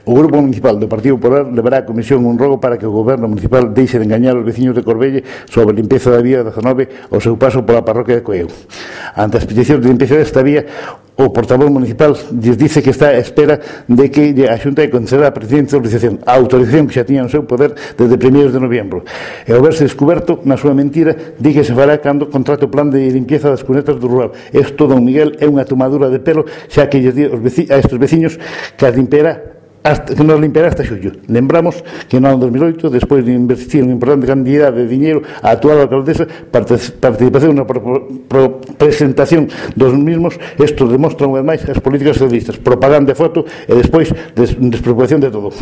O Grupo Municipal do Partido Popular levará a comisión un rogo para que o Goberno Municipal deixe de engañar os veciños de Corbelle sobre a limpeza da vía 19 ao seu paso pola parroquia de Coeu. Ante as peticións de limpeza desta vía, o portavoz municipal lles dice que está a espera de que a Xunta conceda a presente autorización, a autorización que xa tiña no seu poder desde 1 de novembro. E ao verse descoberto, na súa mentira, di que se fará cando contrate o plan de limpieza das cunetas do rural. Isto, don Miguel, é unha tomadura de pelo, xa que lles di a estes veciños que nos limpiará hasta xullo. Lembramos que no ano 2008, despois de investir unha importante cantidade de diñeiro, a actual alcaldesa participación na presentación dos mismos, isto demostra unha vez máis as políticas socialistas, propaganda e foto e despois despreocupación de todo.